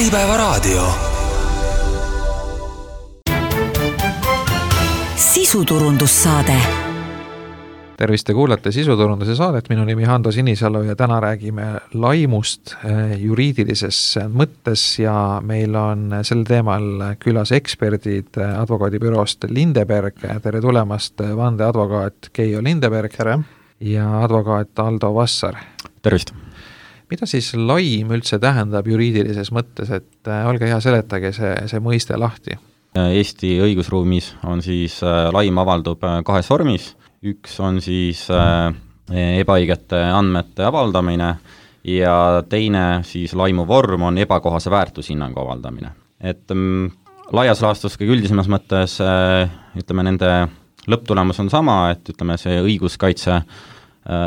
Äripäevaraadio. Sisuturundussaade. Tervist, te kuulate Sisuturunduse saadet, minu nimi Hando Sinisalu ja täna räägime laimust juriidilises mõttes ja meil on sel teemal külas eksperdid advokaadibüroost Lindeberg. Tere tulemast, vandeadvokaat Keijo Lindeberg. Tere. Ja advokaat Aldo Vassar. Tervist. Mida siis laim üldse tähendab juriidilises mõttes, et olge hea, seletage see mõiste lahti. Eesti õigusruumis on siis laim avaldub kahes vormis. Üks on siis ebaõigete andmete avaldamine ja teine siis laimu vorm on ebakohase väärtushinnangu avaldamine. Et laias laastus kõige üldisemas mõttes ütleme nende lõpptulemus on sama, et ütleme see õiguskaitse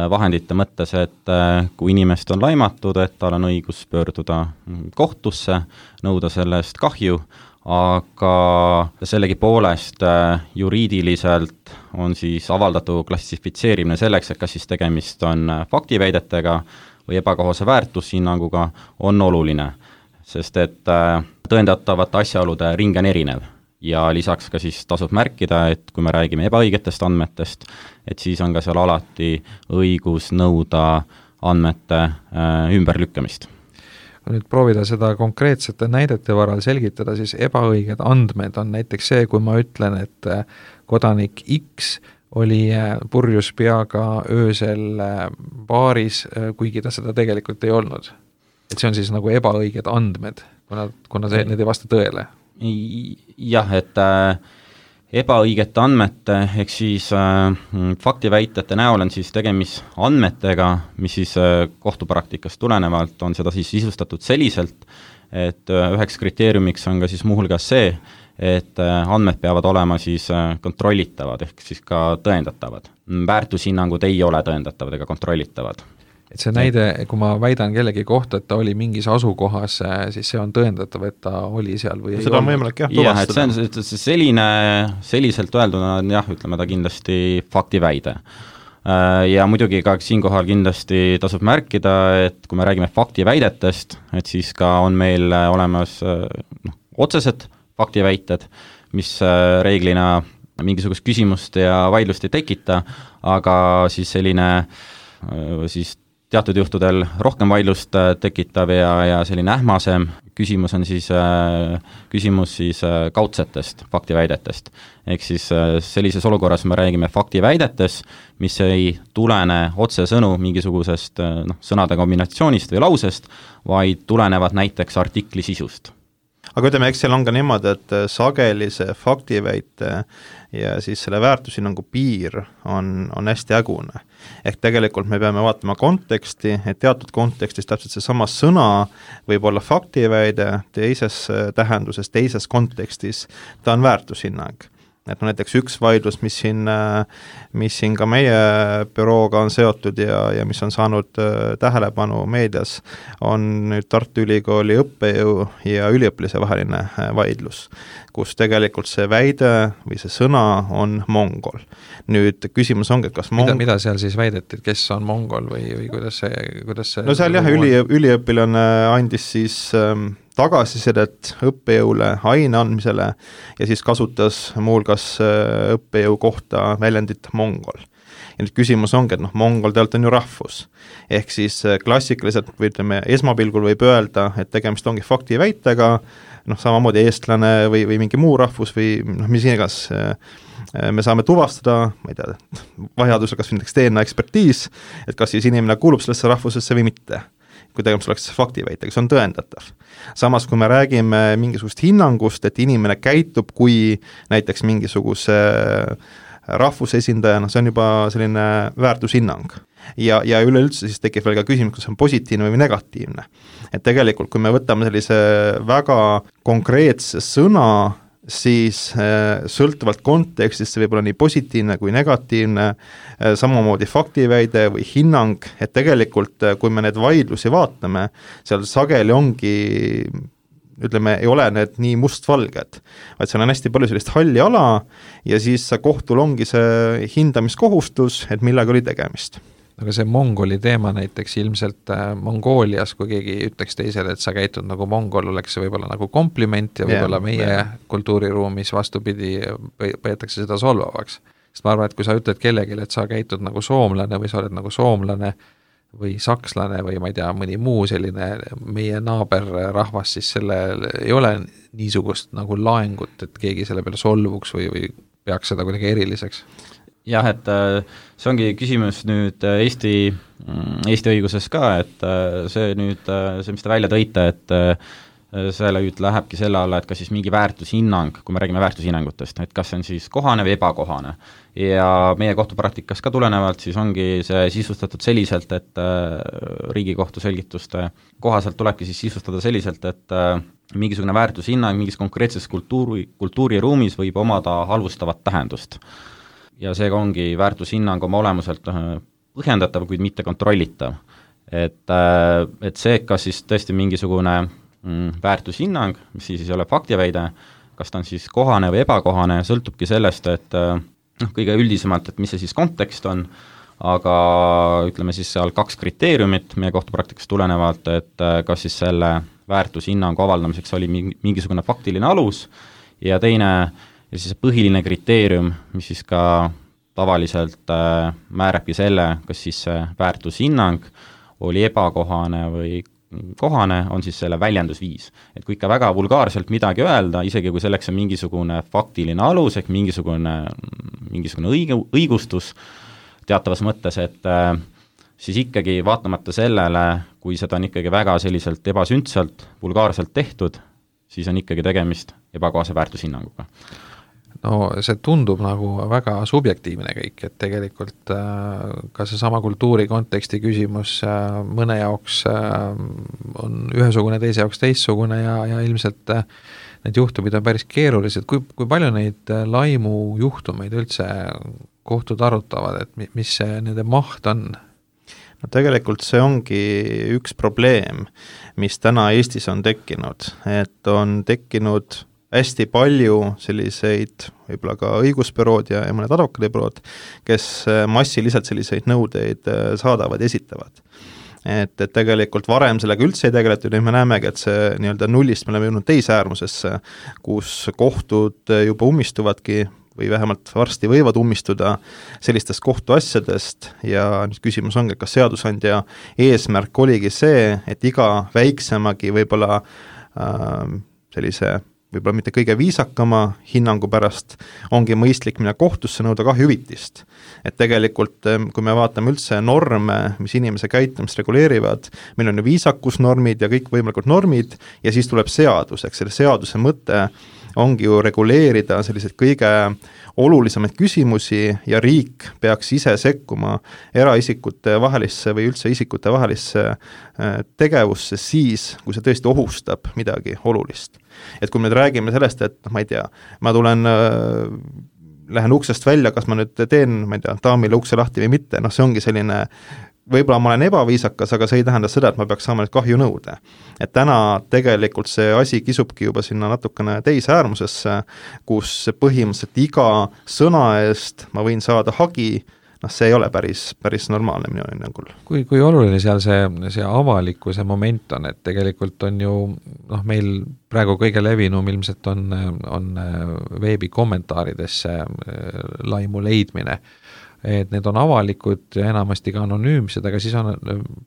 vahendite mõttes, et kui inimest on laimatud, et tal on õigus pöörduda kohtusse, nõuda sellest kahju, aga sellegi poolest juriidiliselt on siis avaldatu klassifitseerimine selleks, et kas siis tegemist on faktiväidetega või ebakohase väärtushinnanguga on oluline, sest et tõendatavate asjaolude ring on erinev ja lisaks ka siis tasub märkida, et kui me räägime ebaõigetest andmetest, et siis on ka seal alati õigus nõuda andmete ümberlükkamist. Kui nüüd proovida seda konkreetsete näidete varal selgitada, siis ebaõiged andmed on näiteks see, kui ma ütlen, et kodanik X oli purjus peaga öösel baaris, kuigi ta seda tegelikult ei olnud. Et see on siis nagu ebaõiged andmed, kuna need ei vasta tõele. Jah, et ebaõigete andmete ehk siis faktiväitete näol on siis tegemist andmetega, mis siis kohtupraktikast tulenevalt on seda siis sisustatud selliselt, et üheks kriteeriumiks on ka siis muuhulgas see, et andmed peavad olema siis kontrollitavad ehk siis ka tõendatavad. Väärtushinnangud ei ole tõendatavad ega kontrollitavad. Et see näide, kui ma väidan kellegi kohta, et ta oli mingis asukohas, siis see on tõendatav, et ta oli seal või ei seda on võimalik tuvastada. Jah, et see selliselt öelduna on jah, ütleme ta kindlasti faktiväide. Ja muidugi ka siinkohal kindlasti tasub märkida, et kui me räägime faktiväidetest, et siis ka on meil olemas otsesed faktiväited, mis reeglina mingisugust küsimust ja vaidlust ei tekita, aga siis selline siis teatud juhtudel rohkem vaidlust tekitav ja selline ähmasem küsimus on siis küsimus siis kaudsetest faktiväidetest. Ehk siis sellises olukorras me räägime faktiväidetes, mis ei tulene otsesõnu mingisugusest sõnade kombinatsioonist või lausest, vaid tulenevad näiteks artikli sisust. Aga ütleme, eks seal on ka niimoodi, et sageli see faktiväite ja siis selle väärtushinnangu piir on hästi ägune. Ehk tegelikult me peame vaatama konteksti, et teatud kontekstis täpselt see sama sõna võib olla faktiväide, teises tähenduses, teises kontekstis ta on väärtushinnang. Et näiteks üks vaidlus, mis siin ka meie bürooga on seotud ja mis on saanud tähelepanu meedias, on nüüd Tartu Ülikooli õppejõu ja üliõpilase vaheline vaidlus, kus tegelikult see väide või see sõna on mongol. Nüüd küsimus ongi, et kas mida seal siis väideti, et kes on mongol või kuidas see no seal jah, üliõpilane andis siis tagasisidet õppejõule aine andmisele ja siis kasutas muuhulgas õppejõu kohta väljendit mongol. Ja nüüd küsimus ongi, et mongol tegelikult on ju rahvus. Ehk siis klassikaliselt või ütleme, esmapilgul võib öelda, et tegemist ongi faktiväitega, samamoodi eestlane või mingi muu rahvus või mis igas me saame tuvastada, ma ei tea, vajadusel kas näiteks DNA ekspertiis, et kas siis inimene kuulub sellesse rahvusesse või mitte. Kui tegemist oleks faktiväitega, see on tõendatav. Samas, kui me räägime mingisugust hinnangust, et inimene käitub kui näiteks mingisuguse rahvusesindajana, see on juba selline väärtushinnang. Ja üleüldse siis tekib veel ka küsimus, kas on positiivne või negatiivne. Et tegelikult, kui me võtame sellise väga konkreetse sõna, siis sõltuvalt kontekstist see võib olla nii positiivne kui negatiivne, samamoodi faktiväide või hinnang, et tegelikult kui me need vaidlusi vaatame, seal sageli ongi, ütleme, ei ole need nii mustvalged, vaid seal on hästi palju sellist halli ala ja siis kohtul ongi see hindamiskohustus, et millega oli tegemist. aga see mongoli teema näiteks ilmselt Mongoolias, kui keegi ütleks teisele, et sa käitud nagu mongol, oleks see võib-olla nagu kompliment ja võib-olla meie kultuuriruumis vastupidi peetakse seda solvavaks. Sest ma arvan, et kui sa ütled kellelegi, et sa käitud nagu soomlane või sa oled nagu soomlane või sakslane või ma ei tea, mõni muu selline meie naaberrahvas, siis sellel ei ole niisugust nagu laengut, et keegi selle peale solvuks või peaks seda kuidagi eriliseks. Jah, et see ongi küsimus nüüd Eesti õiguses ka, et see, mis te välja tõite, et selle nüüd lähebki selle alla, et kas siis mingi väärtushinnang, kui me räägime väärtushinnangutest, et kas see on siis kohane või ebakohane. Ja meie kohtupraktikas ka tulenevalt siis ongi see sisustatud selliselt, et Riigikohtu selgituste kohaselt tulebki siis sisustada selliselt, et mingisugune väärtushinnang mingis konkreetses kultuuriruumis võib omada halvustavat tähendust. Ja seega ongi väärtushinnang oma olemuselt põhjendatav, kuid mitte kontrollitav. Et see, kas siis tõesti mingisugune väärtushinnang, mis siis ei ole faktiväide, kas ta on siis kohane või ebakohane, sõltubki sellest, et kõige üldisemalt, et mis see siis kontekst on, aga ütleme siis seal 2 kriteeriumit meie kohtupraktikast tulenevalt, et kas siis selle väärtushinnangu avaldamiseks oli mingisugune faktiline alus ja teine, ja siis põhiline kriteerium, mis siis ka tavaliselt määrabki selle, kas siis see väärtushinnang oli ebakohane või kohane, on siis selle väljendusviis. Et kui ikka väga vulgaarselt midagi öelda, isegi kui selleks on mingisugune faktiline alus, ehk mingisugune õigustus teatavas mõttes, et siis ikkagi vaatamata sellele, kui seda on ikkagi väga selliselt ebasündsalt, vulgaarselt tehtud, siis on ikkagi tegemist ebakohase väärtushinnanguga. No see tundub nagu väga subjektiivne kõik, et tegelikult ka see sama kultuuri konteksti küsimus mõne jaoks on ühesugune, teise jaoks teissugune ja ilmselt need juhtumid on päris keerulised. Kui palju neid laimu juhtumeid üldse kohtud arutavad, et mis see nende maht on? No tegelikult see ongi üks probleem, mis täna Eestis on tekkinud, et on tekkinud hästi palju selliseid võib-olla ka õigusbürood ja mõned advokaadibürood, kes massiliselt selliseid nõudeid saadavad ja esitavad. Et tegelikult varem sellega üldse ei tegeletud ja me näemegi, et see nii-öelda nullist me oleme jõudnud teise äärmusesse, kus kohtud juba ummistuvadki või vähemalt varsti võivad ummistuda sellistest kohtuasjadest ja nüüd küsimus ongi, kas seadusandja eesmärk oligi see, et iga väiksemagi võib-olla sellise võib-olla mitte kõige viisakama hinnangu pärast ongi mõistlik minna kohtusse nõuda kahjuhüvitist. Et tegelikult, kui me vaatame üldse norme, mis inimese käitumist reguleerivad, meil on ju viisakusnormid ja kõik võimalikud normid ja siis tuleb seadus, eks selle seaduse mõte ongi ju reguleerida selliseid kõige olulisemaid küsimusi ja riik peaks ise sekkuma eraisikute vahelisse või üldse isikute vahelisse tegevusse siis, kui see tõesti ohustab midagi olulist. Et kui me räägime sellest, et ma ei tea, ma lähen uksest välja, kas ma nüüd teen, ma ei tea, daamile ukse lahti või mitte, see ongi selline võib-olla ma olen ebaviisakas, aga see ei tähenda seda, et ma peaks saama nüüd kahju nõuda. Et täna tegelikult see asi kisubki juba sinna natukene teise äärmusesse, kus põhimõtteliselt iga sõna eest ma võin saada hagi, see ei ole päris normaalne minu hinnangul. Kui oluline seal see avalikkuse moment on, et tegelikult on ju meil praegu kõige levinum ilmselt on veebi kommentaaridesse laimu leidmine, et need on avalikud ja enamasti ka anonüümsed, aga siis on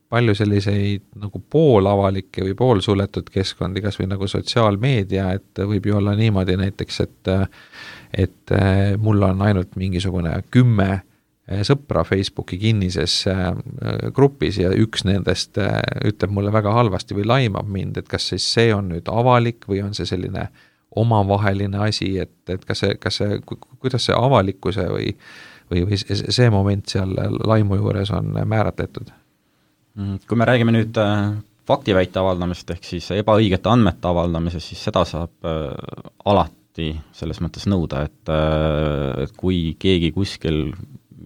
palju selliseid nagu poolavalikke või poolsuletud keskkondi, kas või nagu sotsiaalmeedia, et võib ju olla niimoodi näiteks, et mul on ainult mingisugune 10 sõpra Facebooki kinnises grupis ja üks nendest ütleb mulle väga halvasti või laimab mind, et kas siis see on nüüd avalik või on see selline omavaheline asi, et kuidas see avalikkuse või see moment seal laimu juures on määratletud? Kui me räägime nüüd faktiväite avaldamist ehk siis ebaõigete andmete avaldamisest, siis seda saab alati selles mõttes nõuda, et kui keegi kuskil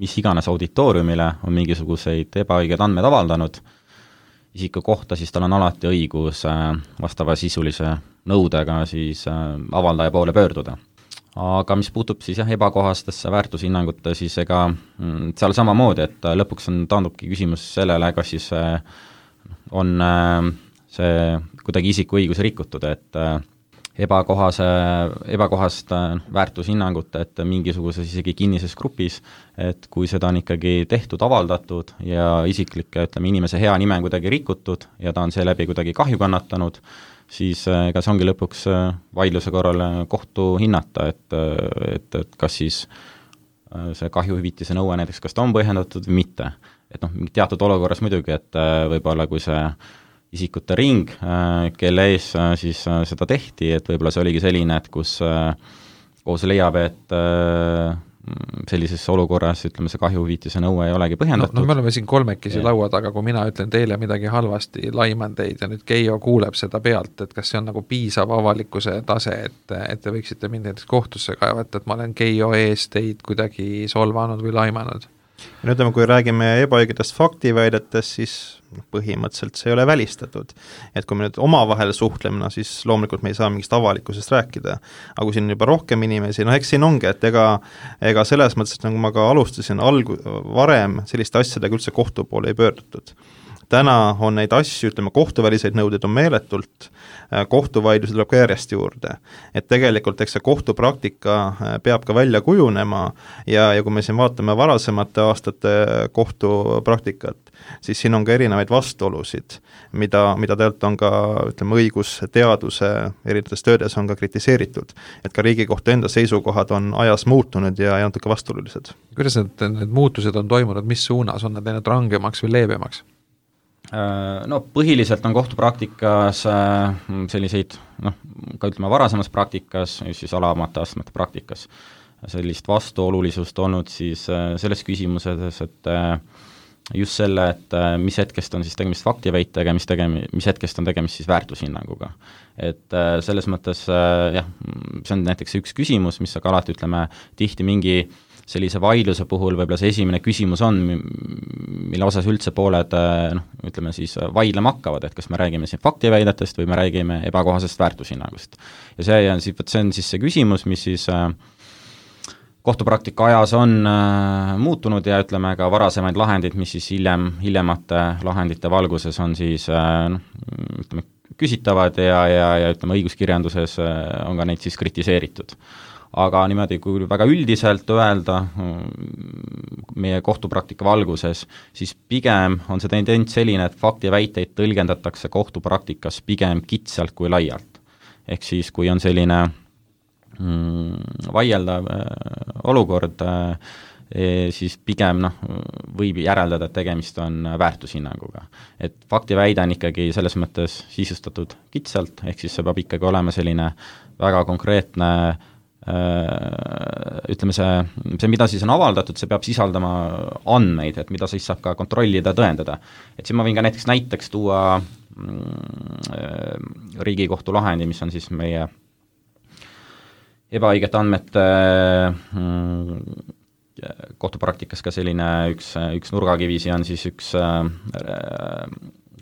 mis iganes auditooriumile on mingisuguseid ebaõiged andmed avaldanud isiku kohta, siis tal on alati õigus vastava sisulise nõudega siis avaldaja poole pöörduda. aga mis puutub siis ebakohastesse väärtushinnangute, siis ega seal samamoodi, et lõpuks taandubki küsimus sellele, kas siis on see kuidagi isiku õigus rikutud, et ebakohast väärtushinnangut, et mingisuguses isegi kinnises grupis, et kui seda on ikkagi tehtud, avaldatud ja isiklik, inimese hea nime on kuidagi rikutud ja ta on seeläbi kuidagi kahju kannatanud, siis ega see ongi lõpuks vaidluse korral kohtu hinnata, et kas siis see kahjuhüvitise nõue näiteks, kas ta on põhjendatud või mitte. Et teatud olukorras muidugi, et võib-olla kui see isikute ring, kelle ees siis seda tehti, et võib-olla see oligi selline, et kus kohus leiab, et sellises olukorras, see kahjuhüvitise nõue ei olegi põhjendatud. Me oleme siin kolmekesi laua taga, kui mina ütlen teile midagi halvasti, laiman teid ja nüüd Keijo kuuleb seda pealt, et kas see on nagu piisav avalikkuse tase, et te võiksite mind näiteks kohtusse kaevata, et ma olen Keijo ees teid kuidagi solvanud või laimanud. Ja nüüd kui räägime ebaõigetest faktiväidetest, siis põhimõtteliselt see ei ole välistatud. Et kui me nüüd omavahel suhtleme, siis loomulikult me ei saa mingist avalikkusest rääkida. Aga kui siin juba rohkem inimesi, eks siin ongi, et ega selles mõttes, et nagu ma ka alustasin varem, selliste asjadega üldse kohtu poole ei pöördutud. Täna on neid asju, kohtuväliseid nõudeid on meeletult, kohtuvaidlusi tuleb ka järjest juurde. Et tegelikult eks see kohtupraktika peab ka välja kujunema ja kui me siin vaatame varasemate aastate kohtupraktikat, siis siin on ka erinevaid vastuolusid, mida tegelikult on ka õigusteaduse erinevates töödes on ka kritiseeritud. Et ka Riigikohtu enda seisukohad on ajas muutunud ja natuke vastuolulised. Kuidas need muutused on toimunud, mis suunas, on need läinud rangemaks või leebemaks? Põhiliselt on kohtupraktikas selliseid, ka varasemas praktikas, siis alamate astmete praktikas, sellist vastuolulisust olnud siis selles küsimuses, et just selle, et mis hetkest on siis tegemist faktiväitega, mis hetkest on tegemist siis väärtushinnanguga. Et selles mõttes, see on näiteks üks küsimus, mis aga alati tihti mingi sellise vaidluse puhul võib-olla see esimene küsimus on, mille osas üldse pooled siis vaidlema hakkavad, et kas me räägime siin faktiväidetest või me räägime ebakohasest väärtushinnangust. Ja see on siis see küsimus, mis siis kohtupraktika ajas on muutunud ja ka varasemaid lahendid, mis siis hiljemate lahendite valguses on siis küsitavad ja õiguskirjanduses on ka neid siis kritiseeritud. Aga niimoodi, kui väga üldiselt öelda meie kohtupraktika valguses, siis pigem on see tendents selline, et faktiväiteid tõlgendatakse kohtupraktikas pigem kitsalt kui laialt. Ehk siis, kui on selline vaieldav olukord, siis pigem võib järeldada, et tegemist on väärtushinnanguga. Et faktiväide on ikkagi selles mõttes sisustatud kitsalt, ehk siis see peab ikkagi olema selline väga konkreetne see, mida siis on avaldatud, see peab sisaldama andmeid, et mida siis saab ka kontrollida, tõendada. Et siin ma võin ka näiteks tuua Riigikohtu lahendi, mis on siis meie ebaõigete andmete kohtupraktikas ka selline üks nurgakivisi on siis üks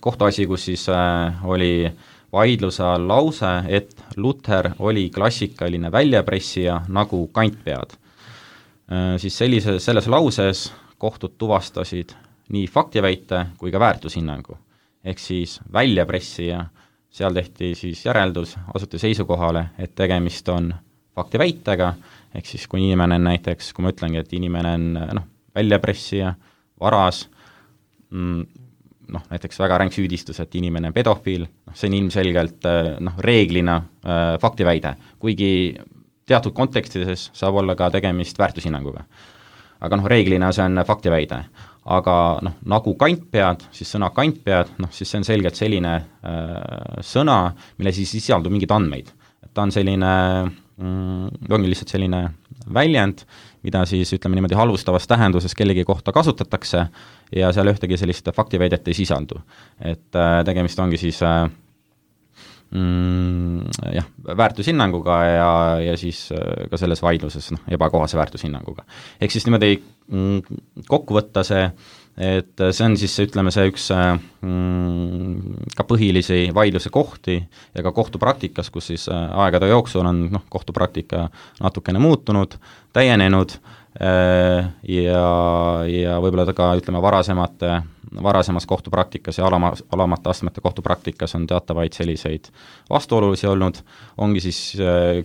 kohtuasi, kus siis oli vaidluse all lause, et Luther oli klassikaline väljapressija nagu kantpead. Siis selles lauses kohtud tuvastasid nii faktiväite kui ka väärtushinnangu. Ehk siis väljapressija, seal tehti siis järeldus, asuti seisukohale, et tegemist on faktiväitega, ehk siis kui inimene näiteks, kui ma ütlengi, et inimene on väljapressija, varas, näiteks väga ränk süüdistus, et inimene on pedofiil, see on ilmselgelt reeglina faktiväide, kuigi teatud kontekstides saab olla ka tegemist väärtushinnanguga. Aga reeglina see on faktiväide. Aga nagu kantpead, siis sõna kantpead, siis see on selgelt selline sõna, mille siis sisaldub mingid andmeid. Ta on selline, ongi lihtsalt selline väljend, mida siis niimoodi halvustavas tähenduses kellegi kohta kasutatakse ja seal ühtegi sellist faktiväidet ei sisaldu. Et tegemist ongi siis väärtushinnanguga ja siis ka selles vaidluses ebakohase väärtushinnanguga. Ehk siis niimoodi kokku võtta see et see on siis, ütleme, see üks ka põhilisi vaidluse kohti ja ka kohtupraktikas, kus siis aegade jooksul on kohtupraktika natukene muutunud, täienenud ja võib-olla ka, ütleme, varasemas kohtupraktikas ja alamate astmete kohtupraktikas on teatavaid selliseid vastuolulisi olnud, ongi siis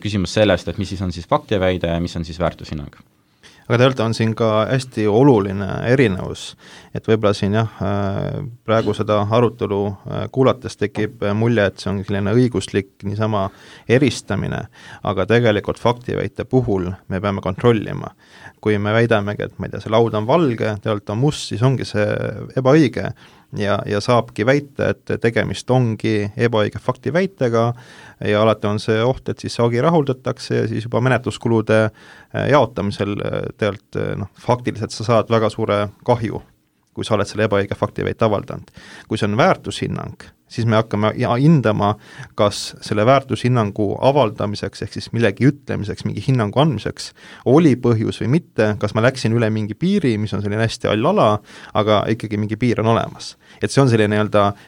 küsimus sellest, et mis siis on siis faktiväide ja mis on siis väärtushinnang. Aga tegelikult on siin ka hästi oluline erinevus, et võib-olla siin praegu seda arutelu kuulates tekib mulje, et see on selline õiguslik niisama eristamine, aga tegelikult faktiväite puhul me peame kontrollima. Kui me väidamegi, et ma ei tea, see laud on valge, tegelikult on must, siis ongi see ebaõige ja saabki väita, et tegemist ongi ebaõige faktiväitega ja alati on see oht, et siis see hagi rahuldatakse ja siis juba menetluskulude jaotamisel tegelikult faktiliselt sa saad väga suure kahju, kui sa oled selle ebaõige faktiväite avaldanud. Kui see on väärtushinnang, siis me hakkame hindama, kas selle väärtushinnangu avaldamiseks ehk siis millegi ütlemiseks, mingi hinnangu andmiseks oli põhjus või mitte, kas ma läksin üle mingi piiri, mis on selline hästi all ala, aga ikkagi mingi piir on olemas. Et see on selline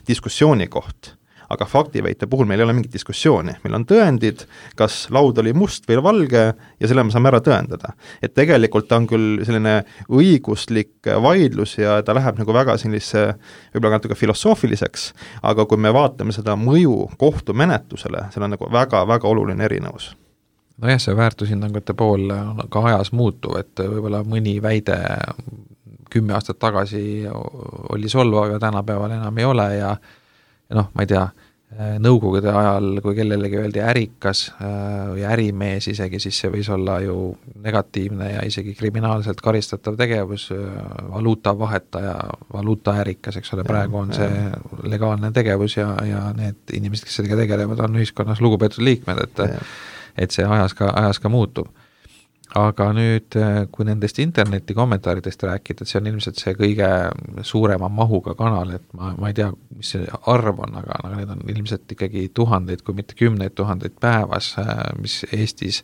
diskussiooni koht. Aga faktiväite puhul meil ei ole mingit diskussiooni, meil on tõendid, kas laud oli must või valge ja selle me saame ära tõendada. Et tegelikult ta on küll selline õiguslik vaidlus ja ta läheb nagu väga sellise võib-olla natuke filosoofiliseks, aga kui me vaatame seda mõju kohtumenetlusele, seal on nagu väga-väga oluline erinevus. Nojah, see väärtushinnangute pool on ka ajas muutuv, et võib-olla mõni väide 10 aastat tagasi oli solvav ja tänapäeval enam ei ole ja ma ei tea, nõukogude ajal, kui kellelegi öeldi ärikas või ärimees isegi, siis see võis olla ju negatiivne ja isegi kriminaalselt karistatav tegevus, valuutavahetaja, valuutaärikas, eks ole, praegu on see legaalne tegevus ja need inimesed, kes sellega tegelevad, on ühiskonnas lugupeetud liikmed, et see ajas ka muutub. Aga nüüd, kui nendest interneti kommentaaridest rääkida, et see on ilmselt see kõige suurema mahuga kanal, et ma ei tea, mis see arv on, aga need on ilmselt ikkagi tuhandeid, kui mitte 10 000 päevas, mis Eestis,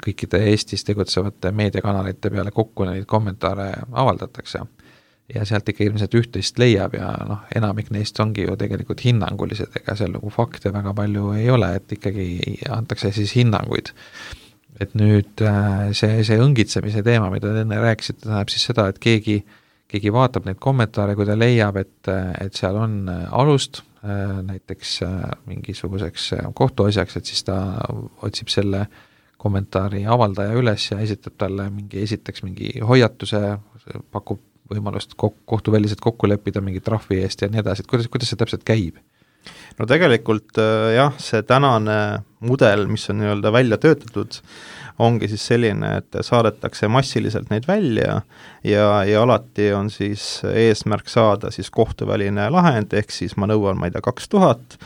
kõikide Eestis tegutsevate meediakanalite peale kokku neid kommentaare avaldatakse. Ja sealt ikka ilmselt üht-teist leiab ja enamik neist ongi ju tegelikult hinnangulised, ega seal nagu fakte väga palju ei ole, et ikkagi antakse siis hinnanguid. Et nüüd see õngitsemise teema, mida te enne rääkisite, tähendab siis seda, et keegi vaatab neid kommentaare, kui ta leiab, et seal on alust näiteks mingisuguseks kohtuasjaks, et siis ta otsib selle kommentaari avaldaja üles ja esitab talle esiteks mingi hoiatuse, pakub võimalust kohtuväliselt kokku leppida mingi trahvi eest ja nii edasi, et kuidas see täpselt käib? No tegelikult jah, see tänane mudel, mis on välja töötatud, ongi siis selline, et saadetakse massiliselt neid välja ja alati on siis eesmärk saada siis kohtuväline lahend, ehk siis ma nõuan, 2000,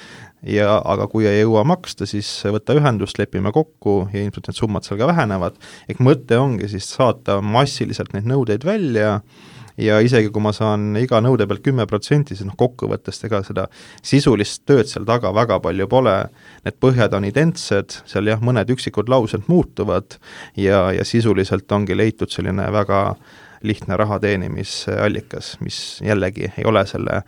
aga kui ei jõua maksta, siis võtta ühendust, lepime kokku ja ilmselt need summad seal ka vähenevad. Ehk mõte ongi siis saata massiliselt neid nõudeid välja ja isegi kui ma saan iga nõude pealt 10%, siis kokkuvõttest ega seda sisulist tööd seal taga väga palju pole, need põhjad on identsed, seal jah, mõned üksikud laused muutuvad ja sisuliselt ongi leitud selline väga lihtne raha teenimisallikas, mis jällegi ei ole selle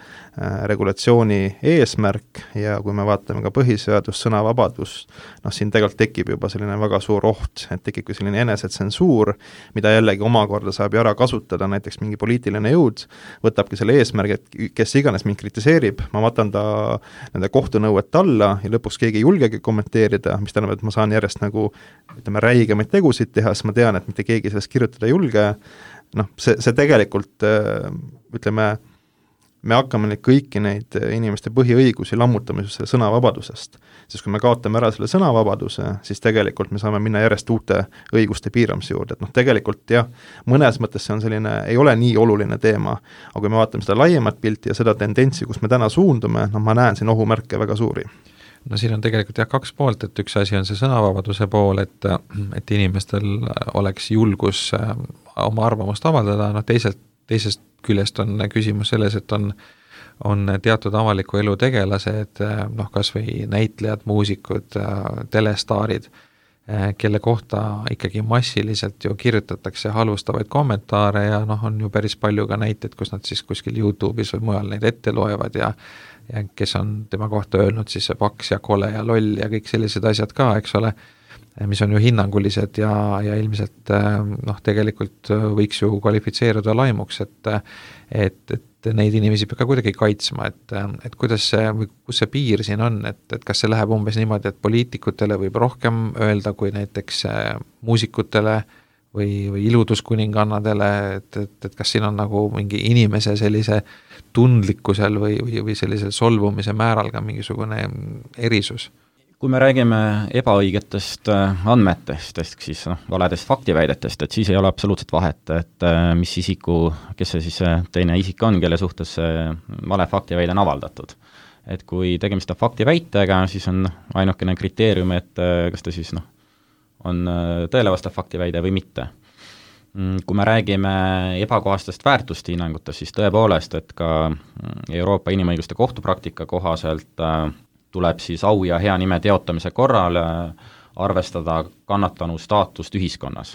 regulatsiooni eesmärk ja kui me vaatame ka põhiseadus, sõnavabadus, siin tegelikult tekib juba selline väga suur oht, et tekib selline enesetsensuur, mida jällegi omakorda saab ju ära kasutada, näiteks mingi poliitiline jõud võtabki selle eesmärgi, et kes iganes mind kritiseerib, ma võtan ta nende kohtunõuet alla ja lõpuks keegi ei julgegi kommenteerida, mis tähendab, et ma saan järjest räigemaid tegusid teha, sest ma tean, et mitte keegi sellest kirjutada ei julge. See tegelikult, ütleme, me hakkame kõiki neid inimeste põhiõigusi lammutamisest sõnavabadusest, sest kui me kaotame ära selle sõnavabaduse, siis tegelikult me saame minna järjest uute õiguste piiramise juurde, et tegelikult jah, mõnes mõttes see on selline, ei ole nii oluline teema, aga kui me vaatame seda laiemat pilti ja seda tendentsi, kus me täna suundume, ma näen siin ohumärke väga suuri. No siin on tegelikult jah 2 poolt, et üks asi on see sõnavabaduse pool, et inimestel oleks julgus oma arvamust avaldada, teisest küljest on küsimus selles, et on teatud avaliku elu tegelased, kas või näitlejad, muusikud, telestaarid, kelle kohta ikkagi massiliselt ju kirjutatakse halvustavaid kommentaare ja on ju päris palju ka näiteid, kus nad siis kuskil YouTube'is või mujal neid ette loevad ja kes on tema kohta öelnud siis see paks ja kole ja loll ja kõik sellised asjad ka, eks ole, mis on ju hinnangulised ja ilmselt tegelikult võiks ju kvalifitseeruda laimuks, et neid inimesi peab ka kuidagi kaitsma, et kuidas see, või kus see piir siin on, et kas see läheb umbes niimoodi, et poliitikutele võib rohkem öelda kui näiteks muusikutele või iluduskuningannadele, et kas siin on nagu mingi inimese sellise tundlikkusel või sellisel solvumise määral ka mingisugune erisus? Kui me räägime ebaõigetest andmetest, ehk siis valedest faktiväidetest, et siis ei ole absoluutselt vahet, et kes see siis teine isik on, kelle suhtes see vale faktiväide on avaldatud. Et kui tegemist on faktiväitega, siis on ainukene kriteerium, et kas ta siis on tõele vastav faktiväide või mitte. Kui me räägime ebakohastest väärtushinnangutest, siis tõepoolest, et ka Euroopa Inimõiguste Kohtupraktika kohaselt tuleb siis au ja hea nime teotamise korral arvestada kannatanu staatust ühiskonnas.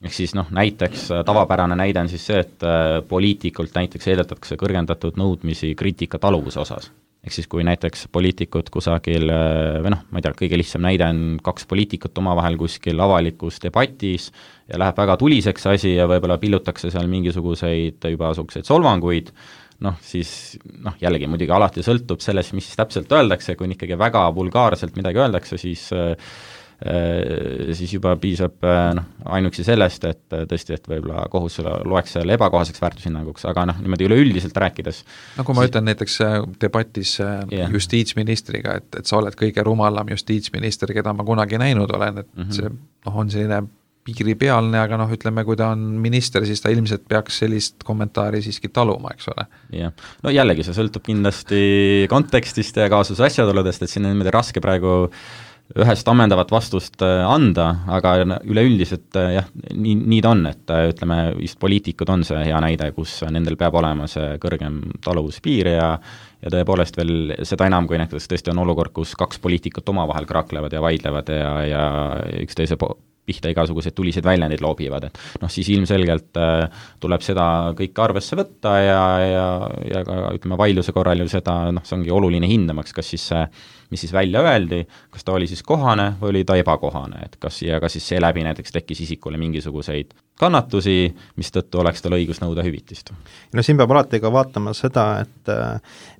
Ehk siis näiteks tavapärane näide on siis see, et poliitikult näiteks eeldatakse kõrgendatud nõudmisi kriitika taluvuse osas. Ehk siis kui näiteks poliitikud kusagil, või ma ei tea, kõige lihtsam näide on 2 poliitikut omavahel kuskil avalikus debatis ja läheb väga tuliseks asi ja võib-olla pillutakse seal mingisuguseid juba suguseid solvanguid, siis jällegi muidugi alati sõltub sellest, mis siis täpselt öeldakse, kui ikkagi väga vulgaarselt midagi öeldakse, siis juba piisab ainuksi sellest, et tõesti, et võib-olla kohus loeks selle ebakohaseks väärtushinnanguks, aga niimoodi üleüldiselt rääkides. Kui ma ütlen näiteks debatis justiitsministriga, et sa oled kõige rumalam justiitsminister, keda ma kunagi näinud olen, et see on selline piiripealne, aga ütleme, kui ta on minister, siis ta ilmselt peaks sellist kommentaari siiski taluma, eks ole. Jah, jällegi see sõltub kindlasti kontekstist ja kaasuse asjaoludest, et siin on niimoodi raske praegu ühest ammendavat vastust anda, aga üleüldiselt jah, nii ta on, et ütleme, just poliitikud on see hea näide, kus nendel peab olema see kõrgem taluvuspiir ja tõepoolest veel seda enam, kui näiteks tõesti on olukord, kus 2 poliitikut omavahel kraaklevad ja vaidlevad ja üksteise pihta igasuguseid tuliseid väljendeid loobivad, et siis ilmselgelt tuleb seda kõike arvesse võtta ja ka ütleme vaidluse korral ju seda, see ongi oluline hindamaks, kas siis see, mis siis välja öeldi, kas ta oli siis kohane või oli ta ebakohane, et kas siis seeläbi näiteks tekkis isikule mingisuguseid kannatusi, mis tõttu oleks tal õigus nõuda hüvitist. Siin peab alati ka vaatama seda, et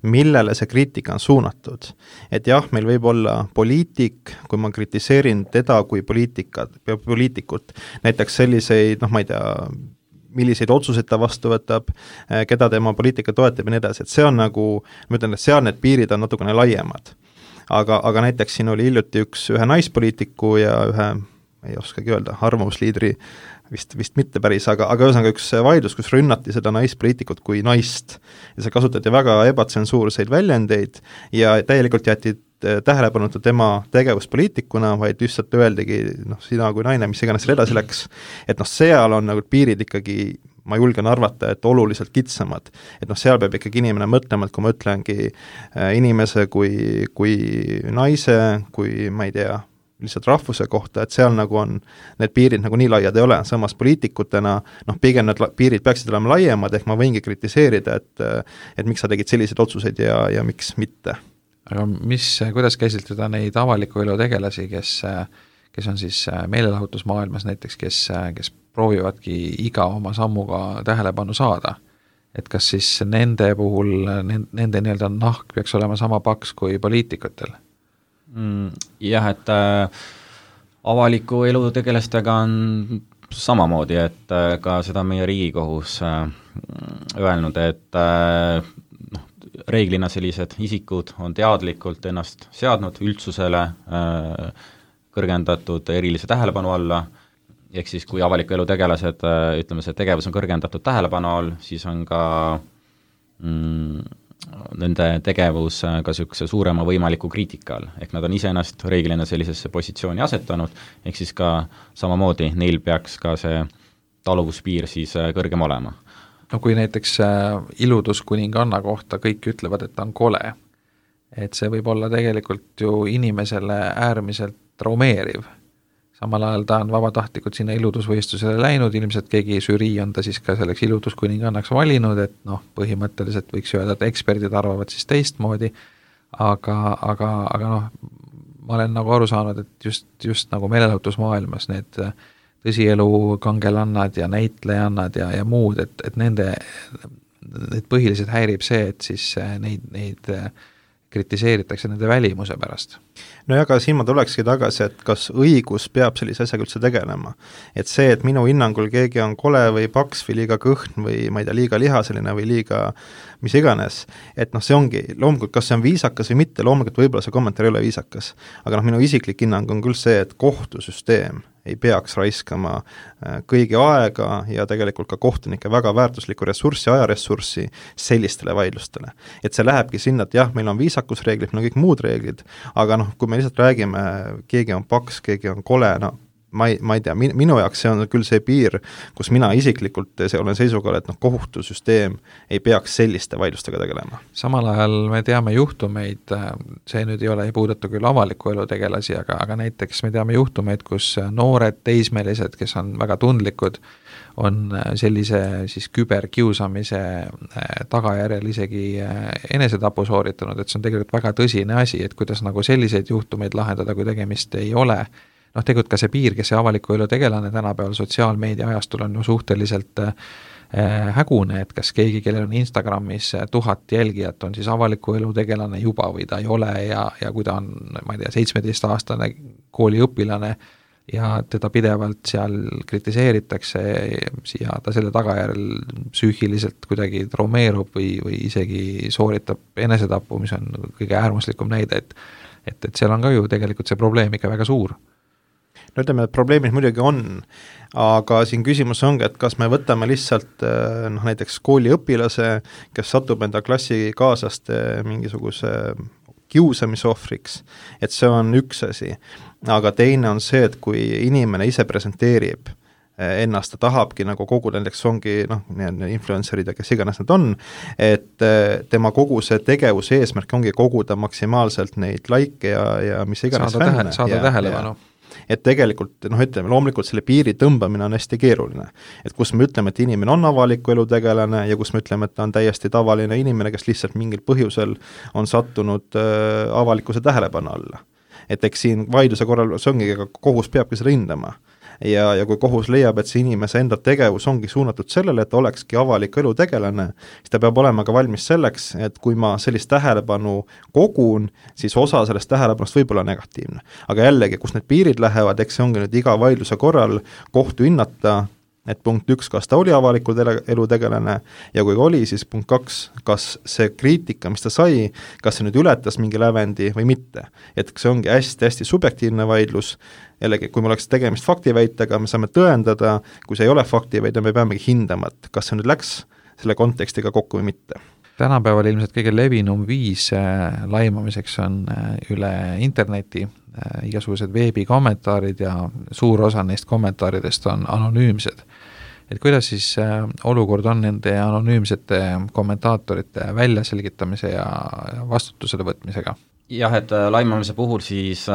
millele see kriitika on suunatud. Et jah, meil võib olla poliitik, kui ma kritiseerin teda kui poliitikut, näiteks selliseid, ma ei tea, milliseid otsuseid ta vastu võtab, keda tema poliitika toetab ja nii edasi, et see on nagu, ma ütlen, et seal need piirid on natukene laiemad. Aga näiteks siin oli hiljuti ühe naispoliitiku ja ühe, ei oskagi öelda, arvamusliidri, vist mitte päris, aga ühesõnaga üks vaidlus, kus rünnati seda naispoliitikut kui naist ja see kasutati väga ebatsensuurseid väljendeid ja täielikult jäeti tähelepanuta tema tegevuspoliitikuna, vaid lihtsalt öeldigi, sina kui naine, mis iganes seal edasi läks, et seal on nagu piirid ikkagi, ma julgen arvata, et oluliselt kitsamad. Et seal peab ikkagi inimene mõtlema, et kui ma ütlengi inimese kui naise, kui ma ei tea, lihtsalt rahvuse kohta, et seal nagu on, need piirid nagu nii laiad ei ole, samas poliitikutena, pigem need piirid peaksid olema laiemad, ehk ma võingi kritiseerida, et miks sa tegid selliseid otsuseid ja miks mitte. Aga kuidas käsitleda neid avaliku elu tegelasi, kes on siis meelelahutusmaailmas näiteks, kes proovivadki iga oma sammuga tähelepanu saada, et kas siis nende puhul, nende nii-öelda nahk peaks olema sama paks kui poliitikutel? Jah, et avaliku elu tegelastega on samamoodi, et ka seda meie Riigikohus öelnud, et reeglina sellised isikud on teadlikult ennast seadnud üldsusele kõrgendatud erilise tähelepanu alla, ehk siis kui avaliku elu tegelased, ütleme, see tegevus on kõrgendatud tähelepanu all, siis on ka nende tegevus ka niisuguse suurema võimaliku kriitika all, ehk nad on iseennast reeglina sellisesse positsiooni asetanud, ehk siis ka samamoodi neil peaks ka see taluvuspiir siis kõrgem olema. Kui näiteks iluduskuninganna kohta kõik ütlevad, et ta on kole, et see võib olla tegelikult ju inimesele äärmiselt traumeeriv, samal ajal ta on vabatahtlikult sinna iludusvõistlusele läinud, ilmselt keegi žürii on ta siis ka selleks iluduskuningannaks valinud, et noh, põhimõtteliselt võiks öelda, et eksperdid arvavad siis teistmoodi, aga noh, ma olen nagu aru saanud, et just nagu meelelahutusmaailmas need tõsielu kangelannad ja näitlejannad ja muud, et need põhiliselt häirib see, et siis neid kritiseeritakse nende välimuse pärast. No ja ka siin ma tulekski tagasi, et kas õigus peab sellise asjaga üldse tegelema. Et see, et minu hinnangul keegi on kole või paks või liiga kõhn või ma ei tea, liiga lihaseline või liiga mis iganes, et noh, see ongi, loomulikult kas see on viisakas või mitte, loomulikult võib-olla see kommentaar ei ole viisakas, aga noh, minu isiklik hinnang on küll see, et kohtusüsteem ei peaks raiskama kõigi aega ja tegelikult ka kohtunike väga väärtuslikku ressurssi, ajaressurssi sellistele vaidlustele. Et see lähebki sinna, et jah, meil on viisakusreeglid, meil on kõik muud reeglid, aga noh, kui me lihtsalt räägime, keegi on paks, keegi on kole, no ma ei tea, minu jaoks see on küll see piir, kus mina isiklikult olen seisukohal, et noh, kohtusüsteem ei peaks selliste vaidlustega tegelema. Samal ajal me teame juhtumeid, see nüüd ei puuduta küll avaliku elu tegelasi, aga näiteks me teame juhtumeid, kus noored teismelised, kes on väga tundlikud, on sellise siis küberkiusamise tagajärjel isegi enesetapu sooritanud, et see on tegelikult väga tõsine asi, et kuidas nagu selliseid juhtumeid lahendada, kui tegemist ei ole. Noh, tegelikult ka see piir, kes see avaliku elu tegelane tänapäeval sotsiaalmeedia ajastul on ju suhteliselt hägune, et kas keegi, kellel on Instagramis 1000 jälgijat, on siis avaliku elu tegelane juba või ta ei ole ja kui ta on, ma ei tea, 17-aastane kooliõpilane ja teda pidevalt seal kritiseeritakse ja ta selle tagajärjel psüühiliselt kuidagi traumeerub või isegi sooritab enesetapu, mis on kõige äärmuslikum näide, et seal on ka ju tegelikult see probleem ikka väga suur. No ütleme, et probleemid muidugi on, aga siin küsimus ongi, et kas me võtame lihtsalt noh, näiteks kooliõpilase, kes satub enda klassikaaslaste mingisuguse kiusamisohvriks, et see on üks asi, aga teine on see, et kui inimene ise presenteerib ennast, ta tahabki nagu koguda, näiteks ongi noh, influencerid ja kes iganes nad on, et tema kogu see tegevuse eesmärk ongi koguda maksimaalselt neid like ja mis iganes saada tähelepanu. Et tegelikult, noh ütleme, loomulikult selle piiri tõmbamine on hästi keeruline. Et kus me ütleme, et inimene on avaliku elu tegelane ja kus me ütleme, et ta on täiesti tavaline inimene, kes lihtsalt mingil põhjusel on sattunud avalikkuse tähelepanu alla. Et eks siin vaidluse korral see ongi, kohus peabki seda hindama. Ja kui kohus leiab, et see inimese enda tegevus ongi suunatud sellele, et olekski avalik elu tegelane, siis ta peab olema ka valmis selleks, et kui ma sellist tähelepanu kogun, siis osa sellest tähelepanust võib olla negatiivne. Aga jällegi, kus need piirid lähevad, eks see ongi nüüd iga vaidluse korral kohtu hinnata, et punkt 1, kas ta oli avaliku elu tegelane ja kui oli, siis punkt 2, kas see kriitika, mis ta sai, kas see nüüd ületas mingi lävendi või mitte. Et see ongi hästi-hästi subjektiivne vaidlus, jällegi, kui me oleks tegemist faktiväitega, me saame tõendada, kui see ei ole faktiväide, me peamegi hindama, et kas see nüüd läks selle kontekstiga kokku või mitte. Tänapäeval ilmselt kõige levinum viis laimamiseks on üle interneti, igasugused veebikommentaarid ja suur osa neist kommentaaridest on anonüümsed. Et kuidas siis olukord on nende anonüümsete kommentaatorite väljaselgitamise ja vastutusele võtmisega? Jah, et laimamise puhul siis,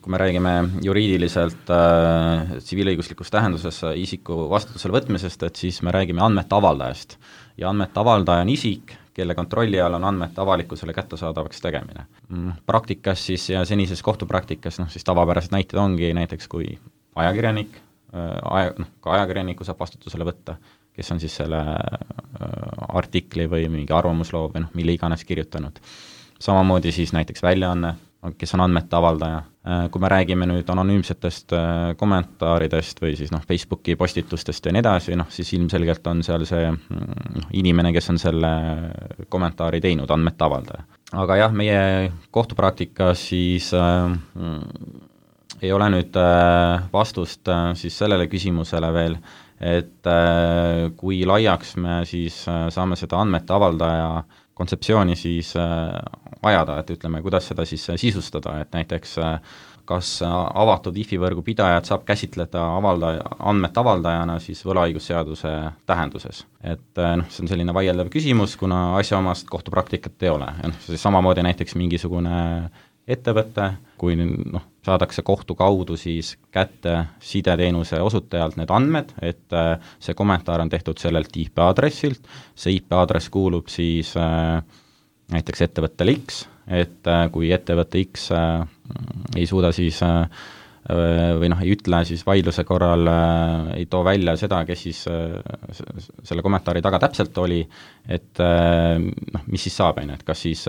kui me räägime juriidiliselt tsiviilõiguslikus tähenduses isiku vastutusele võtmisest, et siis me räägime andmete avaldajast. Ja andmete avaldaja on isik, kelle kontrolli all on andmete avalikkusele kättesaadavaks tegemine. Praktikas siis ja senises kohtupraktikas, siis tavapärased näited ongi näiteks kui ajakirjanik, ka ajakirjaniku saab vastutusele võtta, kes on siis selle artikli või mingi arvamusloo või mille iganes kirjutanud. Samamoodi siis näiteks väljaanne, kes on andmete avaldaja. Kui me räägime nüüd anonüümsetest kommentaaridest või siis Facebooki postitustest ja nii edasi, siis ilmselgelt on seal see inimene, kes on selle kommentaari teinud, andmete avaldaja. Aga jah, meie kohtupraktikas siis ei ole nüüd vastust siis sellele küsimusele veel, et kui laiaks me siis saame seda andmete avaldaja kontseptsiooni siis ajada, et ütleme, kuidas seda siis sisustada, et näiteks kas avatud IFI-võrgu pidajad saab käsitleda andmete avaldajana siis võlaõigusseaduse tähenduses. Et see on selline vaieldav küsimus, kuna asjaomast kohtupraktikat ei ole. Ja siis samamoodi näiteks mingisugune ettevõte, kui saadakse kohtu kaudu siis kätte sideteenuse osutajalt need andmed, et see kommentaar on tehtud sellelt IP-aadressilt, see IP-aadress kuulub siis näiteks ettevõttele X, et kui ettevõte X ei suuda siis või ei ütle siis vaidluse korral, ei too välja seda, kes siis selle kommentaari taga täpselt oli, et mis siis saab, et kas siis